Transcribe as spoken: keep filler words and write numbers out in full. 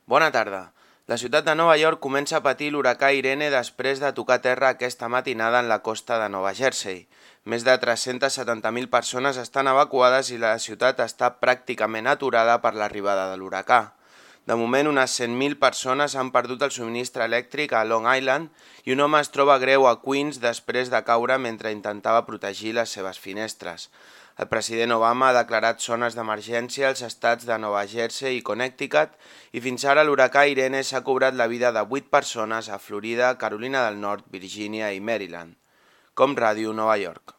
Bona tarda. La ciutat de Nova York comença a patir l'huracà Irene després de tocar terra aquesta matinada en la costa de Nova Jersey. Més de tres-centes setanta mil persones estan evacuades i la ciutat està pràcticament aturada per l'arribada de l'huracà. De moment, unes cent mil persones han perdut el subministre elèctric a Long Island i un home es troba greu a Queens després de caure mentre intentava protegir les seves finestres. El president Obama ha declarat zones d'emergència als estats de Nova Jersey i Connecticut i fins ara l'huracà Irene s'ha cobrat la vida de vuit persones a Florida, Carolina del Nord, Virgínia i Maryland. Com Ràdio Nova York.